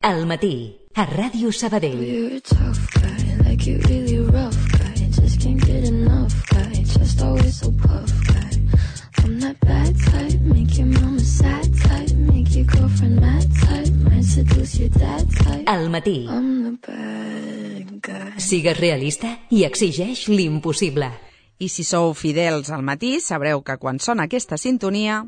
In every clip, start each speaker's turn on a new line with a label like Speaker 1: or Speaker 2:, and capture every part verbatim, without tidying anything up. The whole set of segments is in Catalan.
Speaker 1: Al matí, a Ràdio Sabadell.
Speaker 2: You're a tough guy, like you really rough guy. Just can't get enough guy, just always so puff guy. I'm that bad type, make your mama sad type, make your girlfriend mad type, might seduce your dad type.
Speaker 1: Al matí.
Speaker 2: I'm the bad guy.
Speaker 1: Sigues realista i exigeix l'impossible.
Speaker 3: I si sou fidels al matí, sabreu que quan sona aquesta sintonia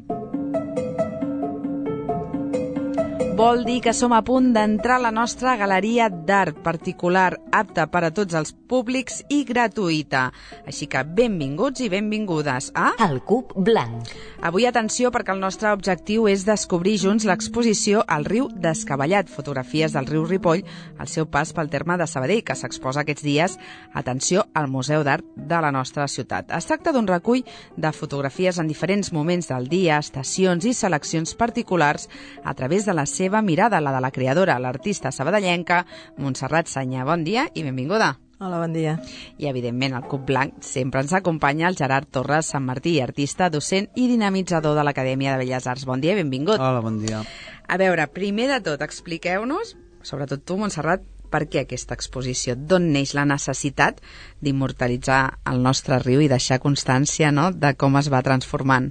Speaker 3: vol dir que som a punt d'entrar a la nostra galeria d'art particular, apta per a tots els públics i gratuïta. Així que benvinguts i benvingudes a...
Speaker 1: El Cub Blanc.
Speaker 3: Avui atenció, perquè el nostre objectiu és descobrir junts l'exposició al riu Descabellat, fotografies del riu Ripoll al seu pas pel terme de Sabadell, que s'exposa aquests dies, atenció, al Museu d'Art de la nostra ciutat. Es tracta d'un recull de fotografies en diferents moments del dia, estacions i seleccions particulars a través de la seva mirada, la de la creadora, l'artista sabadellenca, Montserrat Sanya. Bon dia i benvinguda.
Speaker 4: Hola, bon dia.
Speaker 3: I, evidentment, al Cub Blanc sempre ens acompanya el Gerard Torres Sant Martí, artista, docent i dinamitzador de l'Acadèmia de Belles Arts. Bon dia i benvingut.
Speaker 5: Hola, bon dia.
Speaker 3: A veure, primer de tot, expliqueu-nos, sobretot tu, Montserrat, per què aquesta exposició? D'on neix la necessitat d'immortalitzar el nostre riu i deixar constància, no?, de com es va transformant?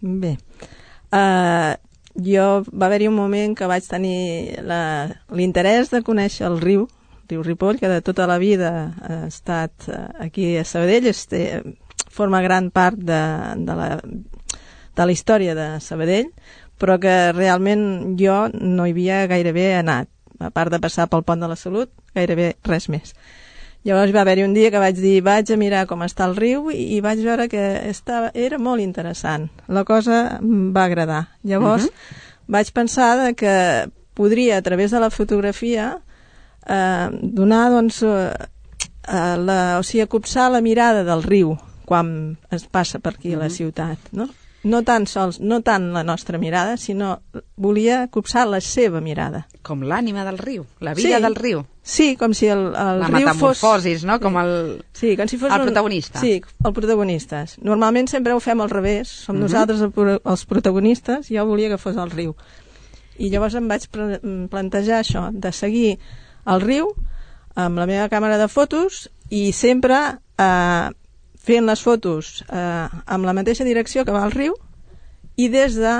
Speaker 4: Bé, uh, jo va haver-hi un moment que vaig tenir l'interès de conèixer el riu, riu Ripoll, que de tota la vida ha estat aquí a Sabadell, este, forma gran part de, de, la, de la història de Sabadell, però que realment jo no hi havia gairebé anat, a part de passar pel Pont de la Salut, gairebé res més. Llavors va haver-hi un dia que vaig dir, vaig a mirar com està el riu, i, i vaig veure que estava, era molt interessant. La cosa em va agradar. Llavors uh-huh. vaig pensar de que podria, a través de la fotografia, eh, donar, doncs, eh, la, o sigui, copsar la mirada del riu quan es passa per aquí uh-huh. a la ciutat, no? No tan sols, no tant la nostra mirada, sinó volia copsar la seva mirada.
Speaker 3: Com l'ànima del riu, la vida
Speaker 4: sí,
Speaker 3: del riu.
Speaker 4: Sí, com si el, el
Speaker 3: la
Speaker 4: riu fos...
Speaker 3: La metamorfosis, no? Com el,
Speaker 4: sí, com si fos
Speaker 3: el
Speaker 4: un...
Speaker 3: protagonista.
Speaker 4: Sí, el protagonista. Normalment sempre ho fem al revés, som uh-huh. nosaltres els protagonistes, jo volia que fos el riu. I llavors em vaig plantejar això, de seguir el riu amb la meva càmera de fotos i sempre... Eh, fent les fotos eh, amb la mateixa direcció que va al riu i des de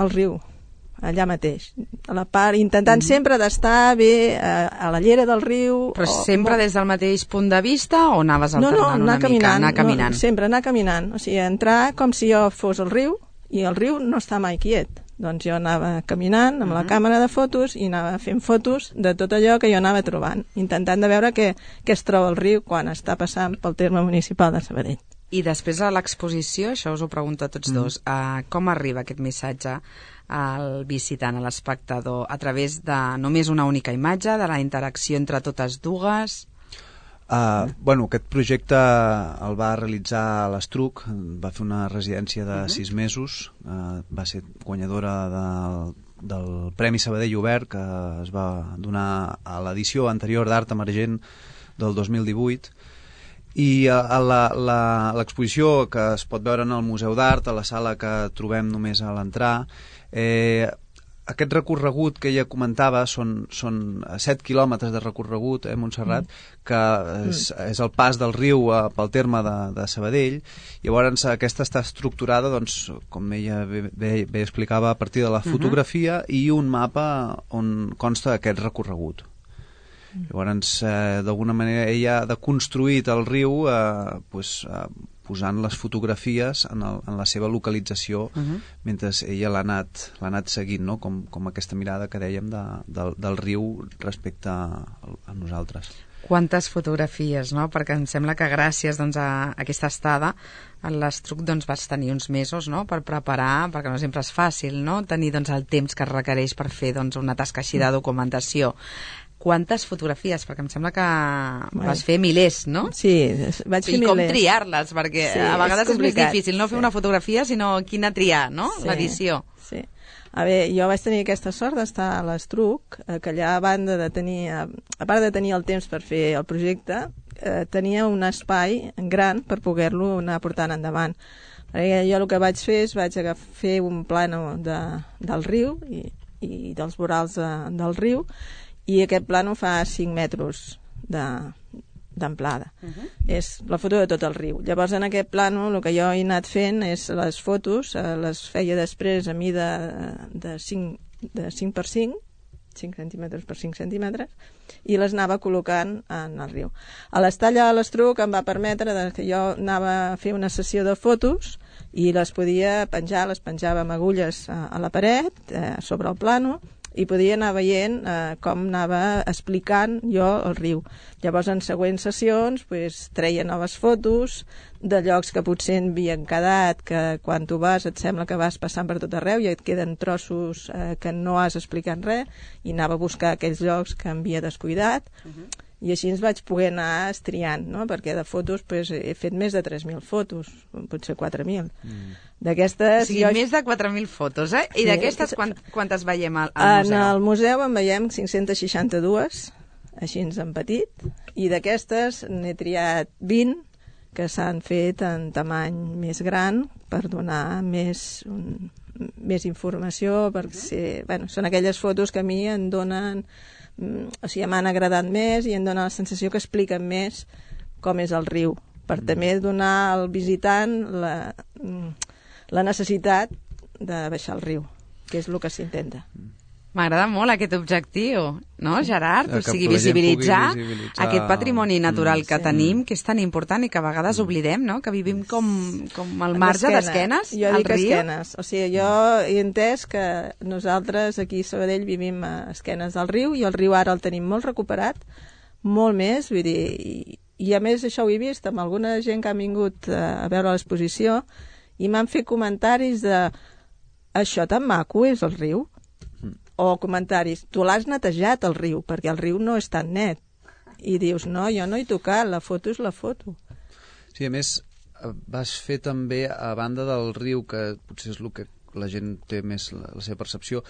Speaker 4: el riu, allà mateix. A la part, intentant mm. sempre d'estar bé a, a la llera del riu.
Speaker 3: Però
Speaker 4: o,
Speaker 3: sempre
Speaker 4: o...
Speaker 3: des del mateix punt de vista o anaves alternant
Speaker 4: no, no,
Speaker 3: una
Speaker 4: caminant,
Speaker 3: mica? Anar caminant.
Speaker 4: No, sempre anar caminant. O sigui, entrar com si jo fos al riu i el riu no està mai quiet. Doncs jo anava caminant amb uh-huh. la càmera de fotos i anava fent fotos de tot allò que jo anava trobant, intentant de veure què, què es troba el riu quan està passant pel terme municipal de Sabadell.
Speaker 3: I després a l'exposició, això us ho pregunto a tots mm. dos, uh, com arriba aquest missatge al visitant, a l'espectador, a través de només una única imatge, de la interacció entre totes dues?
Speaker 5: Uh, bueno, aquest projecte el va realitzar a l'Estruc, va fer una residència de uh-huh. sis mesos, uh, va ser guanyadora del, del Premi Sabadell Obert, que es va donar a l'edició anterior d'Art Emergent del dos mil divuit, i l'exposició que es pot veure en el Museu d'Art, a la sala que trobem només a l'entrar, eh, aquest recorregut que ella comentava són, són set quilòmetres de recorregut, eh, Montserrat, mm. que és, és el pas del riu eh, pel terme de, de Sabadell. Llavors aquesta està estructurada, doncs, com ella bé, bé, bé explicava, a partir de la fotografia uh-huh. i un mapa on consta aquest recorregut. Llavors, eh, d'alguna manera, ella ha deconstruït el riu eh, pues, eh, posant les fotografies en, el, en la seva localització uh-huh. mentre ella l'ha anat, l'ha anat seguint, no? com, com aquesta mirada que dèiem de, del, del riu respecte a, a nosaltres.
Speaker 3: Quantes fotografies, no? Perquè em sembla que gràcies doncs, a aquesta estada en l'Estruc doncs, vas tenir uns mesos, no?, per preparar, perquè no sempre és fàcil, no?, tenir doncs, el temps que es requereix per fer doncs, una tasca així de documentació. Quantes fotografies? Perquè em sembla que
Speaker 4: bueno,
Speaker 3: vas fer milers, no?
Speaker 4: Sí, vaig fer milers.
Speaker 3: I com triar-les? Perquè
Speaker 4: sí,
Speaker 3: a vegades és, és més difícil no
Speaker 4: sí.
Speaker 3: fer una fotografia, sinó quina triar, no?
Speaker 4: Sí,
Speaker 3: l'edició.
Speaker 4: Sí. A veure, jo vaig tenir aquesta sort d'estar a l'Estruc, que allà, a banda de tenir, a part de tenir el temps per fer el projecte, eh, tenia un espai gran per poder-lo anar portant endavant. Perquè jo el que vaig fer és vaig agafar, fer un plano de, del riu i i dels vorals de, del riu, i aquest plànol fa cinc metres d'amplada. De, uh-huh. És la foto de tot el riu. Llavors, en aquest plànol, el que jo he anat fent és les fotos, eh, les feia després a mida de cinc, de cinc per cinc, cinc centímetres per cinc centímetres, i les anava col·locant en el riu. A l'estalla de l'Estruc em va permetre que jo anava a fer una sessió de fotos i les podia penjar, les penjava amb agulles a, a la paret, eh, sobre el plànol, i podia anar veient eh, com anava explicant jo el riu. Llavors, en següents sessions, pues, treia noves fotos de llocs que potser havien quedat, que quan tu vas et sembla que vas passant per tot arreu i et queden trossos eh, que no has explicat res, i anava a buscar aquells llocs que havia descuidat, uh-huh. I així ens vaig poder anar estriant, no? Perquè de fotos pues, he fet més de tres mil fotos, potser quatre mil. Mm. D'aquestes...
Speaker 3: O sigui, jo... més de quatre mil fotos, eh? I sí, d'aquestes quant, quantes veiem al, al museu?
Speaker 4: En el museu en veiem cinc-centes seixanta-dues, així en petit, i d'aquestes n'he triat vint que s'han fet en tamany més gran per donar més, un, més informació, perquè ser, bueno, són aquelles fotos que a mi em donen... o sigui, m'han agradat més i em dona la sensació que expliquen més com és el riu, per mm. també donar al visitant la, la necessitat de baixar el riu, que és el que s'intenta.
Speaker 3: M'agrada molt aquest objectiu, no, Gerard? O sigui, visibilitzar, visibilitzar aquest patrimoni natural mm, que sí. tenim, que és tan important i que a vegades mm. oblidem, no? Que vivim com, com al marge d'esquenes
Speaker 4: jo
Speaker 3: al
Speaker 4: dic
Speaker 3: riu.
Speaker 4: Esquenes. O sigui, jo he entès que nosaltres aquí a Sabadell vivim a esquenes del riu i el riu ara el tenim molt recuperat, molt més, vull dir, i, i a més això ho he vist amb alguna gent que ha vingut a veure l'exposició i m'han fet comentaris de això tan maco és el riu? O comentaris, tu l'has netejat el riu, perquè el riu no és tan net. I dius, no, jo no he tocat, la foto és la foto.
Speaker 5: Sí, a més, vas fer també, a banda del riu, que potser és el que la gent té més la, la seva percepció,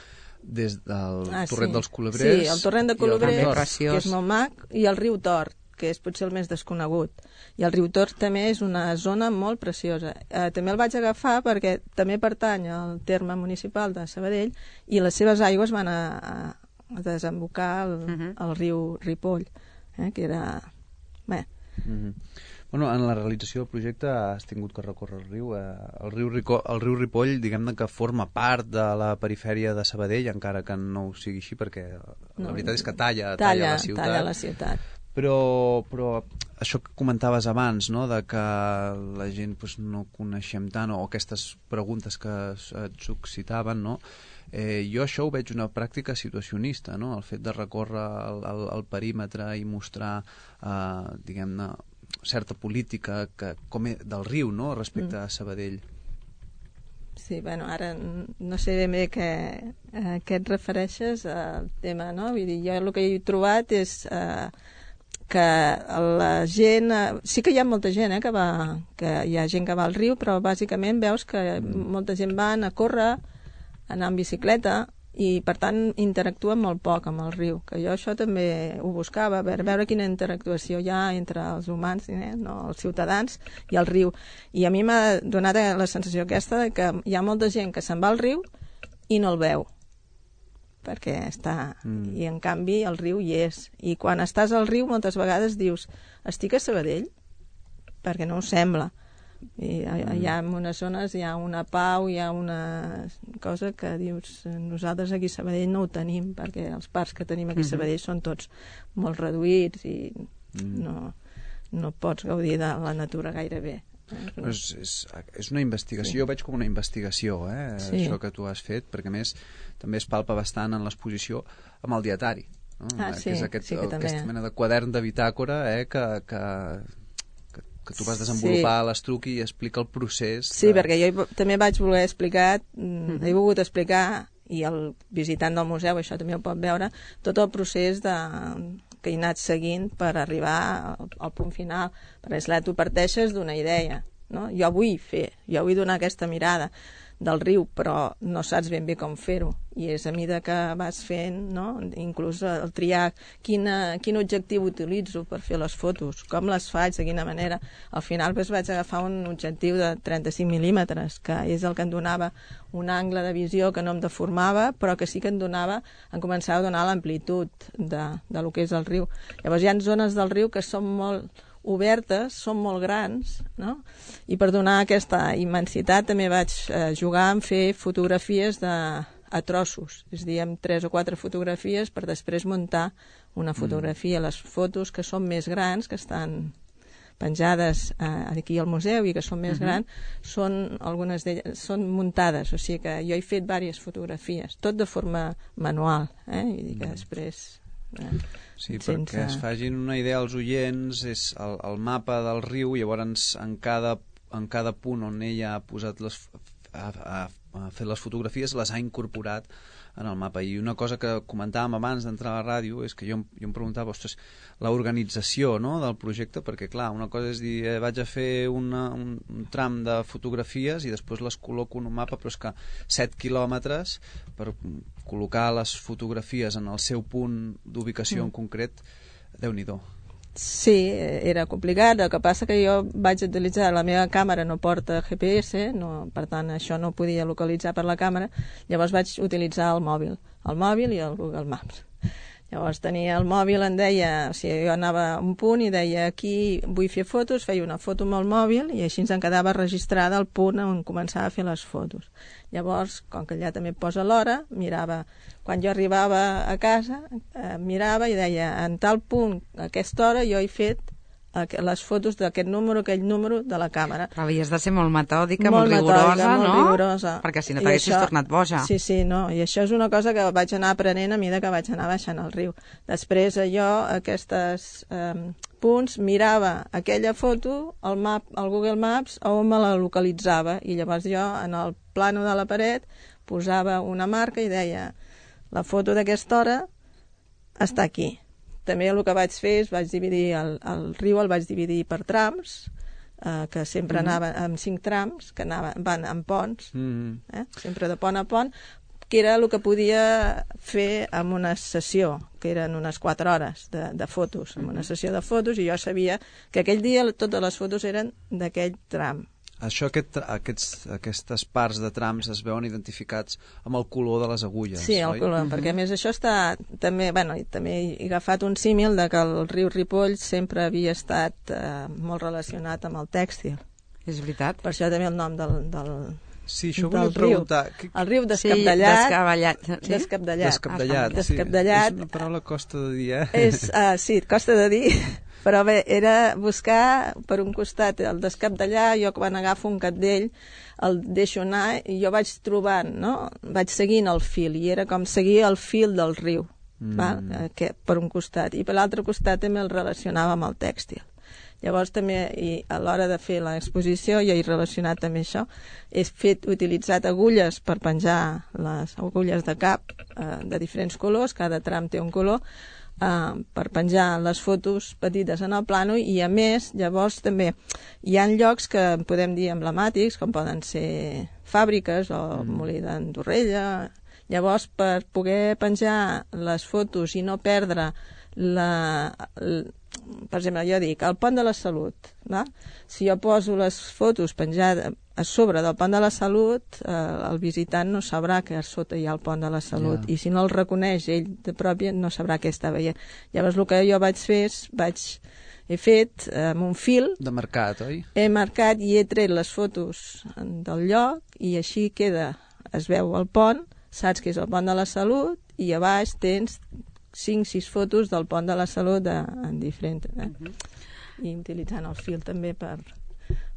Speaker 5: des del ah, torrent sí. dels Colobrers...
Speaker 4: Sí, el torrent de Colobrers, que és molt mac, i el riu Tort, que és potser el més desconegut. I el riu Tort també és una zona molt preciosa. Eh, també el vaig agafar perquè també pertany al terme municipal de Sabadell i les seves aigües van a, a desembocar al, uh-huh. al riu Ripoll, eh, que era... Bé.
Speaker 5: Uh-huh. Bueno, en la realització del projecte has tingut que recórrer el riu. Eh, el, riu Rico, el riu Ripoll, diguem-ne que forma part de la perifèria de Sabadell, encara que no ho sigui així, perquè no, la veritat és que talla, talla, talla la ciutat.
Speaker 4: Talla la ciutat.
Speaker 5: Però, però això que comentaves abans, no? De que la gent pues, no coneixem tant, o aquestes preguntes que et suscitaven, no? eh, jo això ho veig una pràctica situacionista, no? El fet de recórrer el, el, el perímetre i mostrar, eh, diguem-ne, certa política que, com és, del riu, no? Respecte mm. a Sabadell.
Speaker 4: Sí, bueno, ara no sé ben bé que, a què et refereixes al tema, no? Vull dir, jo el que he trobat és... Eh, que la gent... Sí que hi ha molta gent, eh, que va... que hi ha gent que va al riu, però bàsicament veus que mm. molta gent van a córrer, a anar en bicicleta, i per tant interactuen molt poc amb el riu, que jo això també ho buscava, a veure, veure quina interactuació hi ha entre els humans, eh, no, els ciutadans i el riu. I a mi m'ha donat la sensació aquesta de que hi ha molta gent que se'n va al riu i no el veu, perquè està... Mm. I en canvi el riu hi és. I quan estàs al riu moltes vegades dius, estic a Sabadell? Perquè no ho sembla. I mm. hi ha en unes zones, hi ha una pau, hi ha una cosa que dius, nosaltres aquí a Sabadell no ho tenim, perquè els parcs que tenim aquí a Sabadell mm-hmm. són tots molt reduïts i mm. no, no pots gaudir de la natura gaire bé.
Speaker 5: És, és, és una investigació, sí. Jo veig com una investigació, eh, sí. Això que tu has fet, perquè a més també es palpa bastant en l'exposició amb el dietari, no?
Speaker 4: Ah,
Speaker 5: eh,
Speaker 4: sí,
Speaker 5: que és aquest,
Speaker 4: sí que
Speaker 5: aquesta
Speaker 4: també.
Speaker 5: mena de quadern de bitàcora, eh, que, que, que, que tu vas desenvolupar sí. a l'Estruc i explica el procés.
Speaker 4: Sí,
Speaker 5: de...
Speaker 4: perquè jo també vaig voler explicar, mm, he volgut explicar, i el visitant del museu, això també ho pot veure, tot el procés de... que he anat seguint per arribar al, al punt final, perquè esclar, tu parteixes d'una idea, no? Jo vull fer, jo vull donar aquesta mirada. del riu, però no saps ben bé com fer-ho. I és a mesura que vas fent, no? Inclús el triar quina, quin objectiu utilitzo per fer les fotos, com les faig, de quina manera. Al final doncs, vaig agafar un objectiu de trenta-cinc mil·límetres, que és el que em donava un angle de visió que no em deformava, però que sí que em donava, em començava a donar l'amplitud de, de lo que és el riu. Llavors hi ha zones del riu que són molt obertes, són molt grans, no? I per donar aquesta immensitat també vaig eh, jugar en fer fotografies de, a trossos, és a dir, amb tres o quatre fotografies per després muntar una fotografia. Mm. Les fotos que són més grans, que estan penjades eh, aquí al museu i que són més uh-huh. grans, són, algunes d'elles són muntades, o sigui que jo he fet diverses fotografies, tot de forma manual, eh? I dir que mm. després... Eh,
Speaker 5: Sí,
Speaker 4: sense...
Speaker 5: perquè es fagin una idea als oients, és el, el mapa del riu, llavors en cada, en cada punt on ella ha posat les, ha, ha, ha fet les fotografies, les ha incorporat en el mapa. I una cosa que comentàvem abans d'entrar a la ràdio és que jo, jo em preguntava, ostres, l'organització, no?, del projecte, perquè clar, una cosa és dir, eh, vaig a fer una, un, un tram de fotografies i després les col·loco en un mapa, però és que set quilòmetres per col·locar les fotografies en el seu punt d'ubicació mm. en concret, Déu-n'hi-do.
Speaker 4: Sí, era complicat. El que passa que jo vaig utilitzar, la meva càmera no porta G P S, no, per tant això no podia localitzar per la càmera, llavors vaig utilitzar el mòbil, el mòbil i el Google Maps. Llavors tenia el mòbil, em deia, o sigui, jo anava a un punt i deia aquí vull fer fotos, feia una foto amb el mòbil i així ens en quedava registrada el punt on començava a fer les fotos. Llavors, com que allà també posa l'hora, mirava, quan jo arribava a casa, eh, mirava i deia, en tal punt, a aquesta hora, jo he fet les fotos d'aquest número, aquell número de la càmera.
Speaker 3: Però havies de ser molt metòdica, molt,
Speaker 4: molt
Speaker 3: rigorosa,
Speaker 4: metòdica,
Speaker 3: no?
Speaker 4: Molt rigorosa.
Speaker 3: Perquè si no t'haguessis tornat boja.
Speaker 4: Sí, sí, no. I això és una cosa que vaig anar aprenent a mesura que vaig anar baixant el riu. Després jo, aquests eh, punts, mirava aquella foto, el, map, el Google Maps, on me la localitzava. I llavors jo, en el plano de la paret, posava una marca i deia, la foto d'aquesta hora està aquí. També el que vaig fer és vaig dividir el, el riu, el vaig dividir per trams, eh, que sempre mm. anava amb cinc trams, que anaven, van en ponts, mm. eh, sempre de pont a pont, que era el que podia fer en una sessió, que eren unes quatre hores de, de fotos, en una sessió de fotos, i jo sabia que aquell dia totes les fotos eren d'aquell tram.
Speaker 5: Això, aquest, aquests, aquestes parts de trams es veuen identificats amb el color de les agulles,
Speaker 4: sí, el
Speaker 5: oi?
Speaker 4: color, mm-hmm. perquè a més això està també, bueno, també he agafat un símil de que el riu Ripoll sempre havia estat eh, molt relacionat amb el tèxtil.
Speaker 3: És veritat.
Speaker 4: Per això també el nom del, del,
Speaker 5: sí, això
Speaker 4: del
Speaker 5: volia preguntar.
Speaker 4: riu.
Speaker 5: Que...
Speaker 4: El riu descabdellat.
Speaker 3: Sí, descabellat. Sí?
Speaker 4: Descabdellat.
Speaker 5: Descabdellat, sí.
Speaker 4: Descabdellat.
Speaker 5: És una paraula costa de dir, eh?
Speaker 4: És, uh, sí, costa de dir. Però bé, era buscar per un costat el descabdellar, jo quan agafo un cabdell el deixo anar i jo vaig trobant, no? Vaig seguint el fil i era com seguir el fil del riu, mm. val? Que, per un costat. I per l'altre costat també el relacionava amb el tèxtil. Llavors també, i a l'hora de fer l'exposició, jo he relacionat també això, he fet, utilitzat agulles per penjar les agulles de cap eh, de diferents colors, cada tram té un color, Uh, per penjar les fotos petites en el plano i a més llavors també hi ha llocs que podem dir emblemàtics com poden ser fàbriques o mm. molí d'Andorrella. Llavors per poder penjar les fotos i no perdre la, la per exemple jo dic el pont de la Salut, va? Si jo poso les fotos penjades a sobre del pont de la Salut, eh, el visitant no sabrà que a sota hi ha el pont de la Salut, yeah. I si no el reconeix ell de pròpia no sabrà què està veient. Llavors el que jo vaig fer és vaig, he fet eh, amb un fil
Speaker 5: de marcat, oi?
Speaker 4: He marcat i he tret les fotos del lloc i així queda, es veu el pont, saps que és el pont de la Salut i a baix tens cinc sis fotos del pont de la Salut de, en diferent, eh? Uh-huh. I utilitzant el fil també per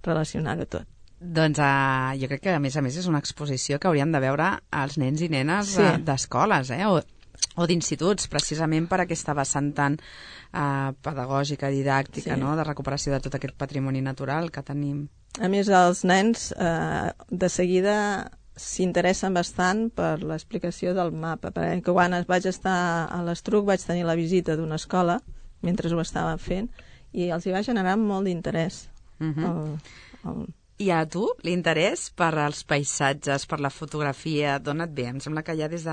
Speaker 4: relacionar-ho tot.
Speaker 3: Doncs uh, jo crec que a més a més és una exposició que haurien de veure els nens i nenes sí. uh, d'escoles, eh? o, o d'instituts, precisament per aquesta vessant tan uh, pedagògica, didàctica, sí. no? De recuperació de tot aquest patrimoni natural que tenim.
Speaker 4: A més, els nens eh, de seguida s'interessen bastant per l'explicació del mapa, perquè quan vaig estar a l'Estruc vaig tenir la visita d'una escola mentre ho estava fent i els hi va generar molt d'interès. Uh-huh. el, el,
Speaker 3: I a tu, l'interès per als paisatges, per la fotografia, d'on et ve? Em sembla que ja des de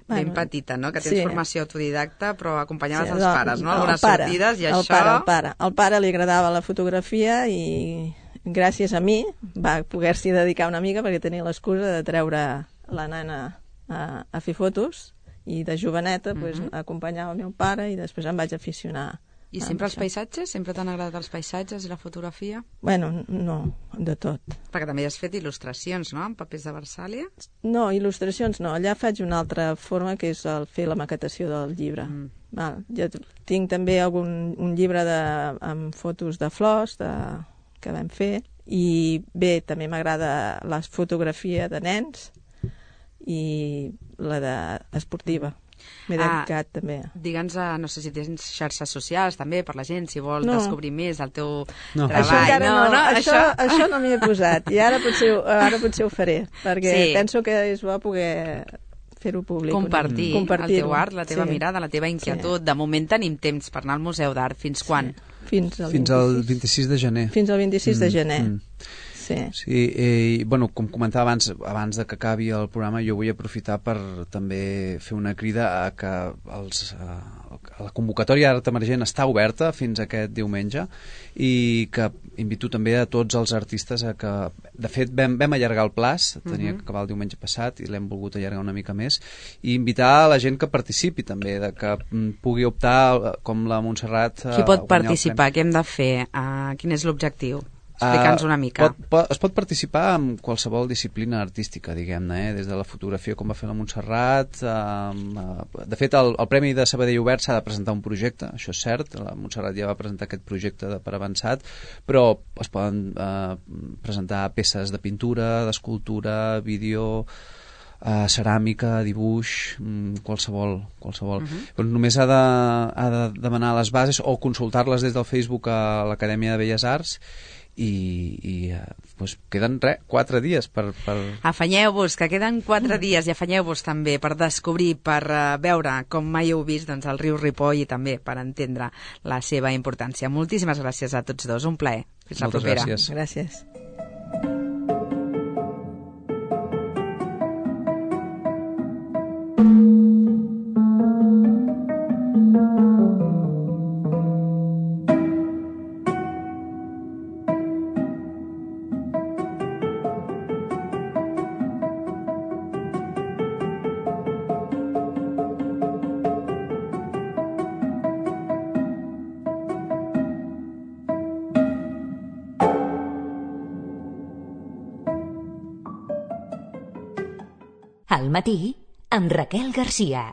Speaker 3: ben
Speaker 4: Bueno,
Speaker 3: petita, no? Que tens
Speaker 4: sí.
Speaker 3: formació autodidacta, però acompanyaves
Speaker 4: Sí,
Speaker 3: els
Speaker 4: el-
Speaker 3: pares, no?
Speaker 4: el
Speaker 3: Algunes
Speaker 4: pare,
Speaker 3: sortides i
Speaker 4: el
Speaker 3: això...
Speaker 4: Pare, el pare. Al pare li agradava la fotografia i gràcies a mi va poder-s'hi dedicar una mica perquè tenia l'excusa de treure la nana a, a fer fotos i de joveneta pues,
Speaker 3: Mhm.
Speaker 4: acompanyava el meu pare i després em vaig aficionar.
Speaker 3: I
Speaker 4: a
Speaker 3: sempre els
Speaker 4: això.
Speaker 3: paisatges? Sempre t'han agradat els paisatges i la fotografia?
Speaker 4: Bueno, no, de tot.
Speaker 3: Perquè també has fet il·lustracions, no?, en papers de Versàlia.
Speaker 4: No, il·lustracions no. Allà faig una altra forma que és el fer la maquetació del llibre.
Speaker 3: Mm.
Speaker 4: Val. Jo t- tinc també algun, un llibre de, amb fotos de flors de, que vam fer i bé, també m'agrada la fotografia de nens i la de esportiva. M'he
Speaker 3: Ah,
Speaker 4: dedicat també.
Speaker 3: Digue'ns, eh, no sé si tens xarxes socials també per la gent, si vol
Speaker 4: No.
Speaker 3: descobrir més del teu
Speaker 5: No.
Speaker 3: treball.
Speaker 4: Això encara no,
Speaker 3: no,
Speaker 4: això, això no m'hi he posat i ara potser, ho- ara potser ho faré perquè
Speaker 3: Sí.
Speaker 4: penso que és bo poder fer-ho públic.
Speaker 3: Compartir el
Speaker 4: Compartir-ho.
Speaker 3: teu art, la teva
Speaker 4: Sí.
Speaker 3: mirada, la teva inquietud. De moment tenim temps per anar al Museu d'Art. Fins quan?
Speaker 4: Fins al
Speaker 5: Fins al
Speaker 4: vint-i-sis.
Speaker 5: vint-i-sis de gener.
Speaker 4: Fins al vint-i-sis de
Speaker 5: Mm,
Speaker 4: gener.
Speaker 5: mm.
Speaker 4: Sí.
Speaker 5: Sí, eh, i, bueno, com comentava abans, abans de que acabi el programa, jo vull aprofitar per també fer una crida a que els, a la convocatòria d'Art Emergent està oberta fins aquest diumenge i que invito també a tots els artistes a que, de fet, vam, vam allargar el plaç, tenia
Speaker 3: Mhm.
Speaker 5: que acabar el diumenge passat i l'hem volgut allargar una mica més, i invitar a la gent que participi també, de que mm, pugui optar, com la Montserrat,
Speaker 3: Qui
Speaker 5: a
Speaker 3: pot
Speaker 5: guanyar el
Speaker 3: participar? Què hem de fer? Uh, quin és l'objectiu? Explica'ns una mica.
Speaker 5: Uh, pot, pot, es pot participar en qualsevol disciplina artística, diguem-ne, eh? Des de la fotografia, com va fer la Montserrat. Uh, uh, de fet, el, el Premi de Sabadell Obert s'ha de presentar un projecte, això és cert, la Montserrat ja va presentar aquest projecte de, per avançat, però es poden uh, presentar peces de pintura, d'escultura, vídeo... Uh, ceràmica, dibuix, mm, qualsevol, qualsevol. Uh -huh. Però només ha de, ha de demanar les bases o consultar-les des del Facebook a l'Acadèmia de Belles Arts i, i uh, pues queden res, quatre dies per... per...
Speaker 3: Afanyeu-vos, que queden quatre dies, i afanyeu-vos també per descobrir, per uh, veure com mai heu vist doncs, el riu Ripoll i també per entendre la seva importància. Moltíssimes gràcies a tots dos, un plaer. Fins la
Speaker 5: Moltes
Speaker 3: propera.
Speaker 5: gràcies.
Speaker 4: Gràcies.
Speaker 1: Al matí, amb Raquel Garcia.